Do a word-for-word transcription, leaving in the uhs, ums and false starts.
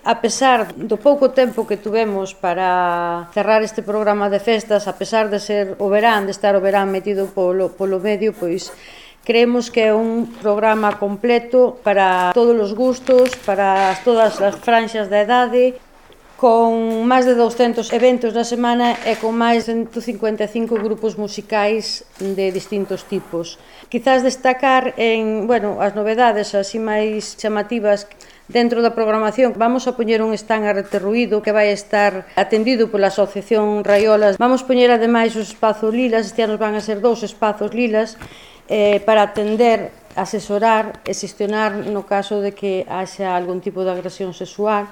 A pesar do pouco tempo que tuvemos para cerrar este programa de festas, a pesar de ser o verán, de estar o verán metido polo, polo medio, pois creemos que é un programa completo para todos os gustos, para todas as franxas da idade, con máis de douscentos eventos na semana e con máis de ciento cincuenta e cinco grupos musicais de distintos tipos. Quizás destacar en, bueno, as novedades así máis chamativas dentro da programación. Vamos a poñer un stand Arte Ruído que vai estar atendido pola Asociación Raiolas. Vamos poñer ademais os espazos lilas, este ano van a ser dous espazos lilas, eh, para atender, asesorar e xestionar no caso de que haxa algún tipo de agresión sexual.